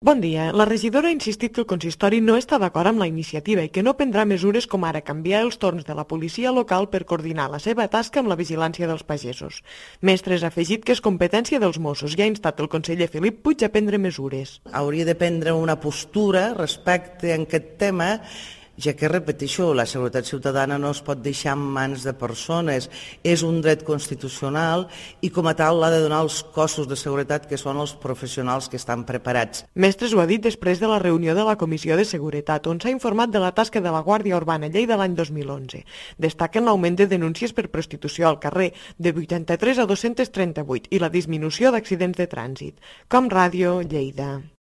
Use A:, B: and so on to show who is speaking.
A: Bon dia. La regidora ha insistit que el consistori no està d'acord amb la iniciativa i que no prendrà mesures com ara canviar els torns de la policia local per coordinar la seva tasca amb la vigilància dels pagesos. Mestres ha afegit que és competència dels Mossos i ha instat el conseller Felip Puig a prendre mesures.
B: Hauria de prendre una postura respecte a aquest tema, ja que, repeteixo, la seguretat ciutadana no es pot deixar en mans de persones, és un dret constitucional i com a tal l'ha de donar els cossos de seguretat, que són els professionals que estan preparats.
A: Mestres ho ha dit després de la reunió de la Comissió de Seguretat, on s'ha informat de la tasca de la Guàrdia Urbana Lleida l'any 2011. Destaquen l'augment de denúncies per prostitució al carrer, de 83 a 238, i la disminució d'accidents de trànsit. Com Ràdio, Lleida.